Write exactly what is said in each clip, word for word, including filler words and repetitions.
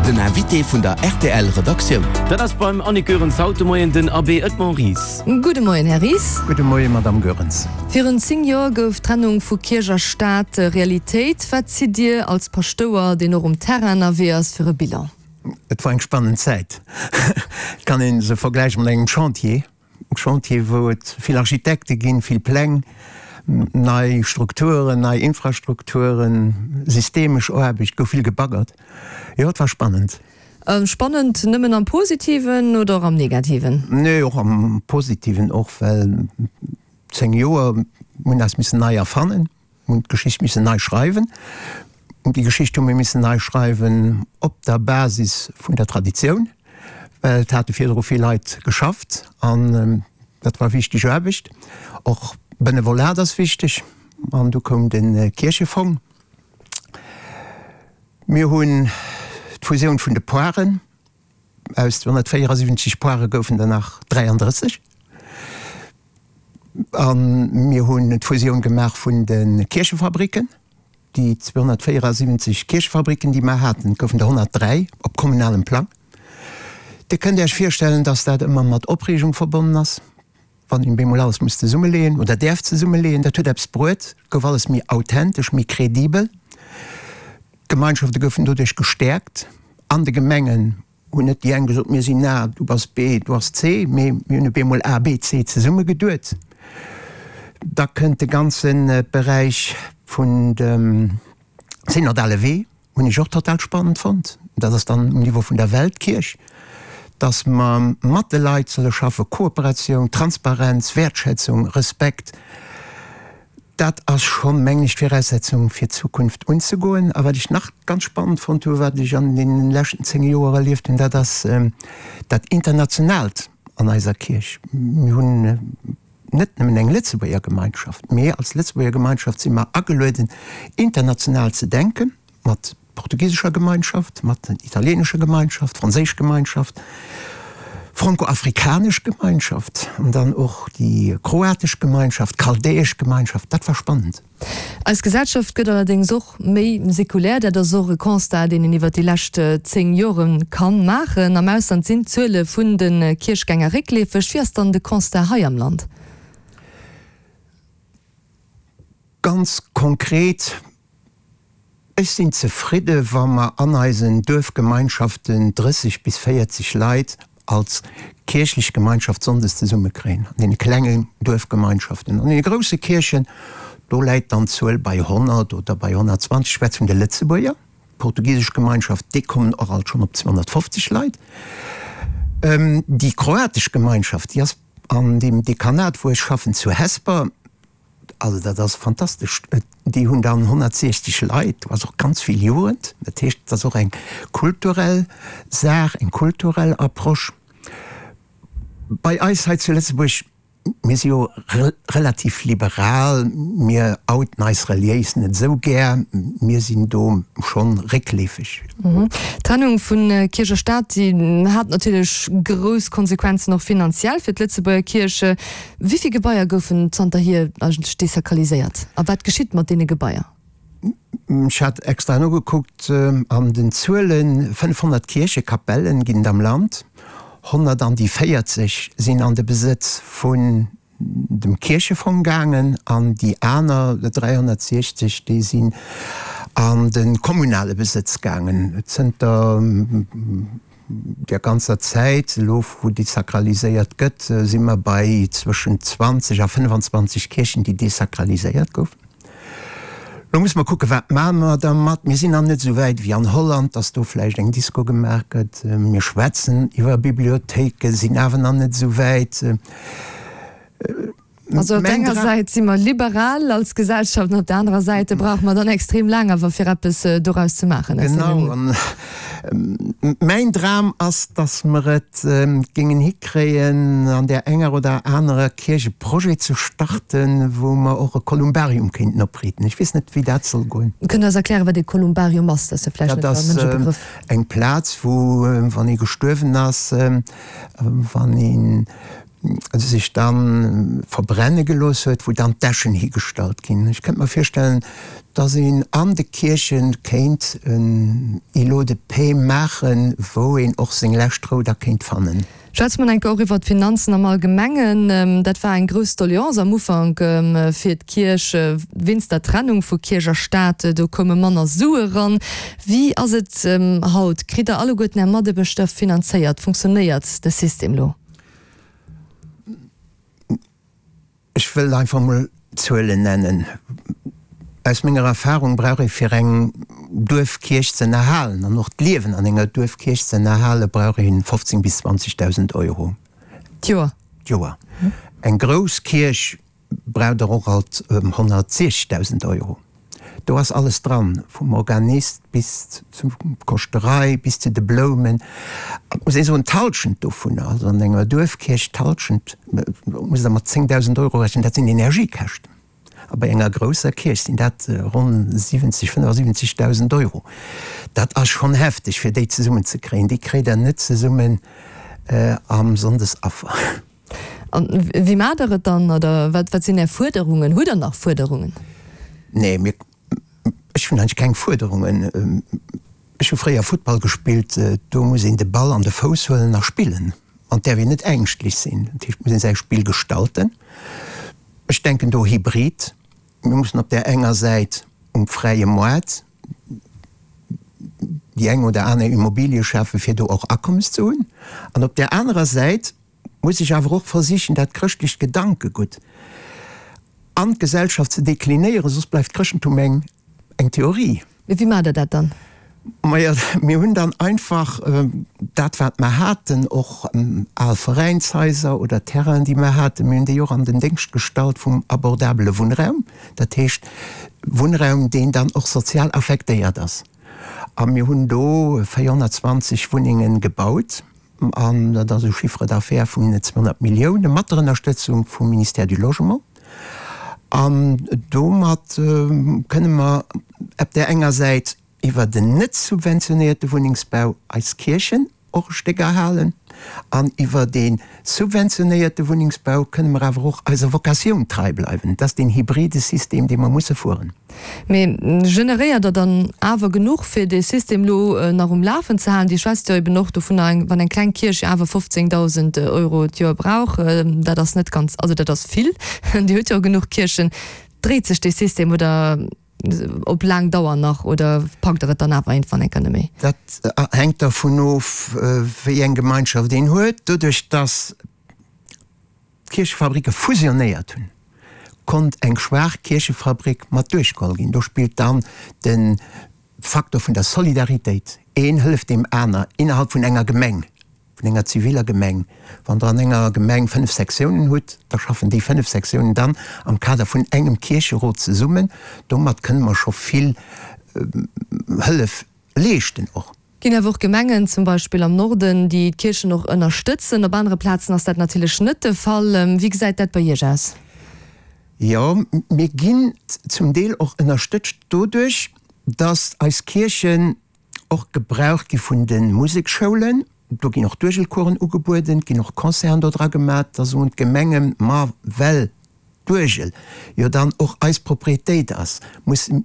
Den Invité vun der rtl Redaktioun. Dat ass beim Annick Goerens haut de Moien den Abbé Edmond Ries. Gudde Moien, Här Ries. Gudde Moien, Madamm Goerens. Virun zéng Joer gouf d'Trennung vu Kierch a Staat Realitéit. Wat zitt Dir als Paschtouer, deen och um Terrain ënnerwee ass, fir e Bilan? Et war eng spannend Zäit. Et kann ee se vergläiche mat engem Chantier. E Chantier, wou et vill Architekte ginn, vill Pläng, nei Strukturen, nei Infrastrukturen, systemesch Aarbecht, gouf vill gebaggert. Jo, et war spannend. Spannend nëmmen am Positiven oder och am Negativen? Nee, och am Positiven och, well zéng Joer, mir hunn eis missen nei erfannen, mir hunn d'Geschicht missen nei schreiwen. Déi Geschicht hu mir missen nei schreiwen op der Basis vun der Traditioun, well et hate virdru vill Leit geschafft an dat war wichteg Aarbecht. Och Benevolat ass wichteg an du koum de Kierchefong. Mir hunn d'Fusioun vun de Poaren, aus zweehonnertvéierasiwwenzeg Poare goufen der nach dräiandrësseg. A mir hunn d'Fusioun gemaach vun de Kierchefabricken. Déi zweehonnertvéierasiwwenzeg Kierchefabricken, déi mer haten, et goufen der honnertdräi op kommunalem Plang. Dir kënnt Iech virstellen, dass dat ëmmer mat Opreegung verbonnen ass, wann een bemol alles muss zesummeleeën oder däerf zesummeleeën. Dat huet eppes bruet, et gouf alles méi authentesch, méi credibel. D'Gemeinschafte goufen doduerch gestäerkt. An de Gemengen hunn net déi eng gesot, mir sinn A, du bass B, du ass C, mee mir hunn op eemol A, B, C zesummegeduet. Da kënnt de ganze Beräich vun dem synodale Wee, hunn ech och total spannend fonnt. Dat ass dann um Niveau vun der Weltkierch, dass mer mat de Leit solle schaffen, Kooperatioun, Transparenz, Wäertschätzung, Respekt. Dat ass schonn, mengen ech, d'Viraussetzung fir d'Zukunft unzegoen. A wat ech nach ganz spannend fonnt hu wat ech an deene leschten zéng Joer erlieft hunn, dat ass dat Internationaalt an eiser Kierch. Mir hunn net nëmmen eng Lëtzebuerger Gemeinschaft, mee als Lëtzebuerger Gemeinschaft si mer agelueden, international ze denken, mat portugisescher Gemeinschaft, mat italienescher Gemeinschaft, franséisch Gemeinschaft, franco-afrikanesch Gemeinschaft an dann och déi kroatesch Gemeinschaft, chaldäesch Gemeinschaft. Dat war spannend. Eis Gesellschaft gëtt allerdéngs och méi sekulär. Dat ass och e Constat, deen een iwwer déi lescht zéng Jore ka maachen. Am Ausland sinn d'Zuele vun de Kierchgänger réckleefeg. Wéi ass dann de Constat hei am Land? Ganz konkret, Ech sinn zefridde wa mer an eisen Duerfgemeinschaften drësseg bis véierzeg Leit als kierchlech Gemeinschaft sonndes zesummekréien, an deene klenge Duerfgemeinschaften. An deene grousse Kierchen, do läit dann d'Zuel bei honnert oder bei honnertzwanzeg. Ech schwätze vun de Lëtzebuerger. D'portugisesch Gemeinschaft, déi kommen och alt schonn op zweehonnertfofzeg Leit. Déi kroatesch Gemeinschaft, déi ass an deem Dekanat, wou ech schaffen, zu Hesper, Also dat ass fantastesch. Déi hunn dann honnertsiechzeg Leit, do ass och ganz vill Jugend. Dat heescht, et ass och eng kulturell Saach, eng kulturell Approche. Bei eis hei zu Lëtzebuerg, mir si jo relativ liberal, mir outen eis reliéis net esou gär, mir sinn do schonn réckleefeg. D'Trennung vu Kierch a Staat, déi hat natierlech grouss Konsequenzen och finanziell fir d'Lëtzebuerger Kierch. Wéi vill Gebaier goufen zanterhier eigentlech desakraliséiert a wat geschitt mat deene Gebaier? Ech hat extra nogekuckt an den Zuelen, fënnefhonnert Kierchekapellen ginn et am Land, honnert an déi véierzeg sinn an de Besëtz vun dem Kierchefong gaangen an déi aner dräihonnertsiechzeg, déi sinn an de kommunale Besëtz gaangen. Zënter där ganzer Zäit elo, wou desakraliséiert gëtt, si mer bei zwëschen zwanzeg a fënnfanzwanzeg Kierchen, déi desakraliséiert goufen. Elo musse mer kucken, wat maache mer dermat. Mir sinn nach net esou wäit wéi an Holland, dass do vläicht eng Disco gemaach gëtt. Mir schwätzen iwwer Bibliothéiken, sinn awer nach net esou wäit. Also op der enger Säit si mer liberal als Gesellschaft an op der anerer Säit brauche mer dann extrem laang awer fir eppes doraus ze maachen. Genau. An mäin Dram ass, dass mer et géingen hikréien, an där enger oder anerer Kierch e Projet ze starten, wou mer och e Kolumbarium kéinten opriiten. Ech weess net, wéi dat soll goen. Kënnt Der eis erklären, wat e Kolumbarium ass? Dat ass jo vläicht net fir all Mënsch e Begrëff. Dat ass eng Plaz, wou, wann ee gestuerwen ass, wann een sech dann verbrenne gelooss huet, wou dann d'Äschen higestallt ginn. Ech kënnt mer virstellen, dass een an de Kierchen kéint en Îlot de paix maachen, wou een och seng lescht Rou da kéint fannen. Schwätze mer enke och iwwert d'Finanzen am Allgemengen. Dat war eng grouss Doleance am Ufank fir d'Kierch wéinst der Trennung vu Kierch a Staat. Do koume manner Sue ran. Wéi ass et haut? Kritt Der alleguerten Är Mataarbechter finanzéiert? Funktionéiert de System lo? Ech wëll einfach mol Zuelen nennen. Aus menger Erfahrung brauch ee fir eng Duerfkierch ze ënnerhalen an och d'Liewen an enger Duerfkierch ze ënnerhalen, brauch ee fofzéng bis zwanzegdausend Euro. D'Joer? D'Joer. Eng grouss Kierch brauch der och alt honnertsiechzegdausend Euro. Do ass alles dran, vum Organist bis zur Koschterei, bis zu de Bloumen. Et muss ee soen, d'Halschent dovunner, also an enger Duerfkierch d'Halschent, muss Der mat zéngdausend Euro rechnen, dat sinn Energiekäschten. A bei enger grousser Kierch sinn dat ronn siwwenzeg, fënnefasiwwenzegdausend Euro. Dat ass schonn hefteg, fir déi zesummenzekréien. Déi kréit Der net zesummen am Sonndesaffer. A wéi maacht Der et dann? Oder wat sinn Är Fuerderungen? Hutt Der nach Fuerderungen? Nee, mir, ech hunn eigentlech keng Fuerderungen. Ech hu fréier Futtball gespillt, do muss een de Ball an de Fouss huelen a spillen. An et däerf een net ängschtlech sinn. Dat heescht, et muss een säi Spill gestalten. Ech denken do hybrid. Mir mussen op där enger Säit um fräie Moart déi eng oder aner Immobilie schafen, fir do och Akommes ze hunn. An op där anerer Säit muss ech awer och versichen, dat chrëschtlecht Gedankegutt an d'Gesellschaft ze deklinéieren, soss bleift d'Chrëschtentum eng eng Theorie. Mee wéi maacht Der dat dann? Majo, mir hunn dann einfach dat, wat mer haten, och al Veräinshaiser oder Terrainen, déi mer haten, mir hunn déi och an den Déngscht gestallt vum abordabele Wunnraum, dat heescht Wunnraum, deen dann och sozial affektéiert ass. A mir hunn do véierhonnertzwanzeg Wunnenge gebaut. An dat ass e Chiffre d'affaires vun zweehonnert Milliounen mat der Ënnerstëtzung vum Ministère du Logement. An domat kënne mer op där enger Säit iwwer den net subventionéierte Wunnengsbau eis Kierchen och e Stéck erhalen an iwwer dee subventionéierte Wunnengsbau kënne mer awer och eiser Vocatioun trei bleiwen. Dat ass deen hybride System, dee mer musse fueren. Mee generéiert Der dann awer genuch, fir dee System elo nach um Lafen ze halen? Dir schwätzt jo eben och dovunner, wann eng kleng Kierch jo awer fofzéngdausend Euro d'Joer brauch, dat ass net ganz, also dat ass vill, Dir hutt jo genuch Kierchen. Dréit sech dee System oder op laang Dauer nach oder packt Der et dann awer iergendwann eng Kéier net méi? Dat hänkt dervun of, wéi eng Gemeinschaft een huet. Doduerch, dass d'Kierchefabricke fusionéiert hunn, konnt eng schwaach Kierchefabrik mat duerchgeholl ginn. Do spillt dann de Faktor vun der Solidaritéit, een hëlleft deem aner innerhalb vun enger Gemeng, vun enger ziviler Gemeng. Wann Der an enger Gemeng fënnef Sektiounen hutt, da schaffen déi fënnef Sektiounen dann am Kader vun engem Kiercherot zesummen. Domat kënne mer scho vill Hëllef leeschten och. Ginn awer och Gemengen, zum Beispill am Norden, déi d'Kierchen och ënnerstëtzen. Op anere Plazen ass dat natierlech net de Fall. Wéi gesäit dat bei Iech aus? Jo, mir ginn zum Deel och ënnerstëtzt doduerch, datt eis Kierchen och gebraucht gi vun de Museksschoulen. Do ginn och Duergelcoursen ugebueden, et ginn och Concerten do dra gemat. Da soen d'Gemengen, ma well d'Uergel jo dann och eis Propriétéit ass, musse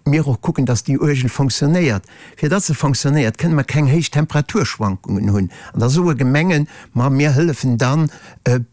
mir och kucken, dass déi Uergel fonctionnéiert. Fir datt se fonctionnéiert, kënne mer keng héich Temperaturschwankungen hunn. An da soe Gemengen, ma mir hëllefen dann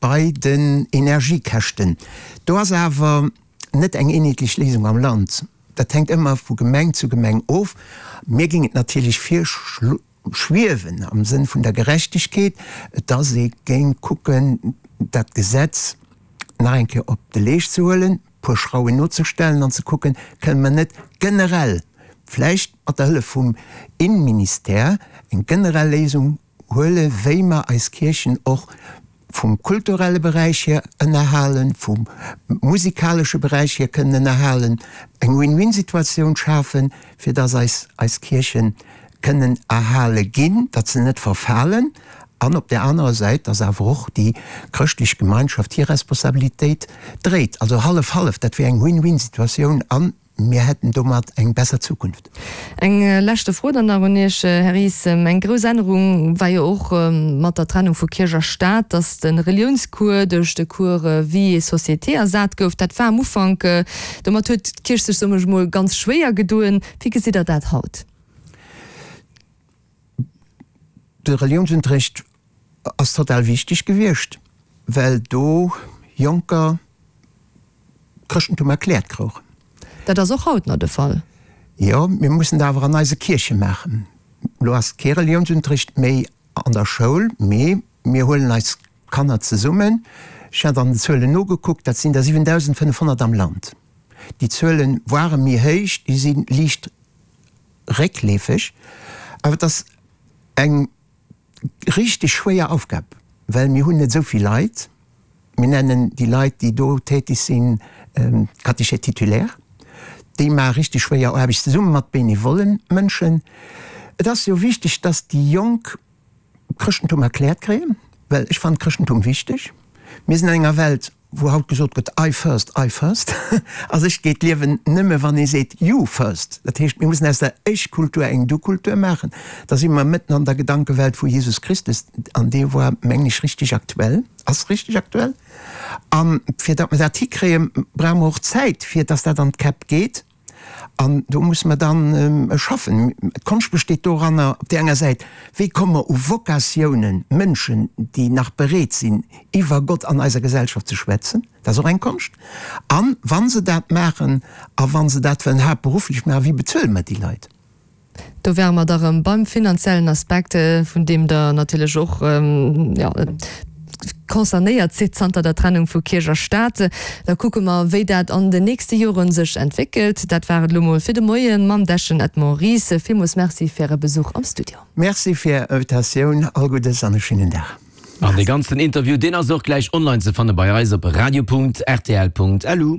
bei den Energiekäschten. Do ass awer net eng eenheetlech Léisung am Land. Dat hänkt ëmmer vu Gemeng zu Gemeng of. Mir géing et natierlech virschwiewen, am Sënn vun der Gerechtegkeet, dass ee géing kucken, dat Gesetz nach eng Kéier op de Leescht ze huelen, puer Schrauwen nozestellen an ze kucken, kënne mer net generell, vläicht mat der Hëllef vum Innenministère, eng generell Léisung huelen, wéi mer eis Kierchen och vum kulturelle Beräich hier ënnerhalen, vum musikalesche Beräich hier kënnen ënnerhalen, eng Win-win-Situatioun schafen, fir dass eis eis Kierche kënnen erhale ginn, datt se net verfalen, an op där anerer Säit, dass awer och déi chrëschtlech Gemeinschaft hir Responsabilitéit dréit. Also hallef-hallef, dat wier eng Win-win-Situatioun a Mir hätten domat eng besser Zukunft. Eng leschte Fro dann nach un Iech, Här Ries. Eng grouss Ännerung war jo och mat der Trennung vu Kierch a Staat, datt de Reliounscours duerch de Cours Vie et Société ersat gouf. Dat war am Ufank, domat huet d'Kierch sech, soen ech mol, ganz schwéier gedoen. Wéi gesitt Der dat haut? De Reliounsunterrecht ass total wichteg gewiescht, well do Jonker d'Chrëschtentum erkläert krouchen. Dat ass och haut nach de Fall. Jo, mir mussen dat awer an eise Kierche maachen. Elo ass kee Reliounsunterricht méi an der Schoul, mee mir huelen eis Kanner zesummen. Ech hat an den Zuelen nogekuckt, dat sinn der siwendausendfënnefhonnert am Land. Déi Zuele ware méi héich, déi si liicht réckleefeg. Awer et ass eng richteg schwéier Aufgab, well mir hunn net esou vill Leit. Mir nennen déi Leit, déi do tätig sinn, Catéchètes titulaires. Déi maache richteg schwéier Aarbecht zesumme mat benevollen Mënschen. Et ass jo wichteg, dass déi Jonk d'Chrëschtentum erkläert kréien, well ech fannen d'Chrëschtentum wichteg. Mir sinn an enger Welt, wou haut gesot gëtt, I first, I first. A sech geet d'Liewen nëmme wann ee seet you first. Dat heescht, mir mussen aus der Ech-Kultur eng Du-Kultur maachen. Da si mer mëtten an der Gedankewelt vu Jesus Christus, an dee war, mengen ech, richteg aktuell, ass richteg aktuell. A fir datt mer dat hikréien, brauche mer och Zäit, fir datt dat an d'Käpp geet. An do musse mer dann schaffen. D'Konscht besteet doranner, op där enger Säit, wéi komme mer u Vokatiounen, Mënschen, déi nach bereet sinn, iwwer Gott an eiser Gesellschaft ze schwätzen, dat ass och eng Konscht. A wa se dat maachen a wa se dat wëllen haaptberufflech maachen, wéi bezuele mer déi Leit? Do wäre mer da rëm beim finanziellen Aspekt, vun deem Der natierlech och, jo, concernéiert sidd zanter der Trennung vu Kierch a Staat. Da kucke mer, wéi dat an den nächste Jore sech entwéckelt. Dat war et elo mol fir de Moie mam Dechen Edmond Ries. Villmools Merci fir Äre Besuch am Studio. Merci fir Är Invitatioun. All Guddes an e schéinen Dag. An dee ganzen Interview, deen ass och gläich online ze fanne bei eis op radio punkt rtl punkt lu.